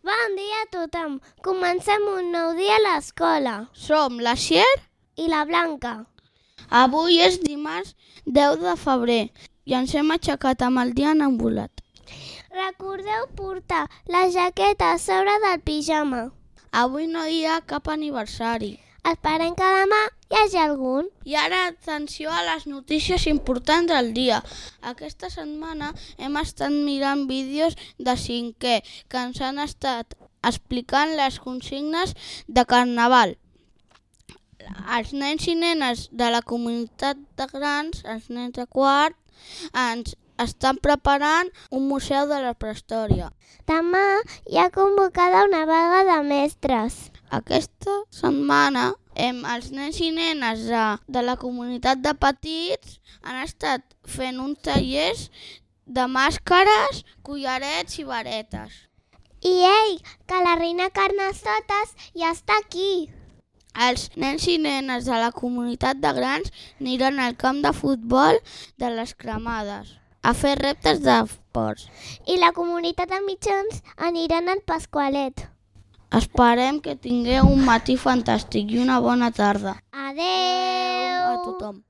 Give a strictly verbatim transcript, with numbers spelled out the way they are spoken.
Bon dia a tothom. Comencem un nou dia a l'escola. Som la Xier I la Blanca. Avui és dimarts deu de febrer i ens hem aixecat amb el dia enambulat. Recordeu portar la jaqueta a sobre del pijama. Avui no hi ha cap aniversari. Esperem que demà hi hagi algun. I ara atenció a les notícies importants del dia. Aquesta setmana hem estat mirant vídeos de cinquè que ens han estat explicant les consignes de Carnaval. Els nens i nenes de la comunitat de grans, els nens de quart, ens estan preparant un museu de la prehistòria. Demà hi ha convocada una vaga de mestres. Aquesta setmana em, els nens i nenes de, de la comunitat de petits han estat fent uns tallers de màscares, collarets i varetes. I ei, que la reina Carnestoltes ja està aquí. Els nens i nenes de la comunitat de grans aniran al camp de futbol de les Cremades a fer reptes d'esports. I la comunitat de mitjans aniran al Pasqualet. Esperem que tingueu un matí fantàstic i una bona tarda. Adeu! A tothom.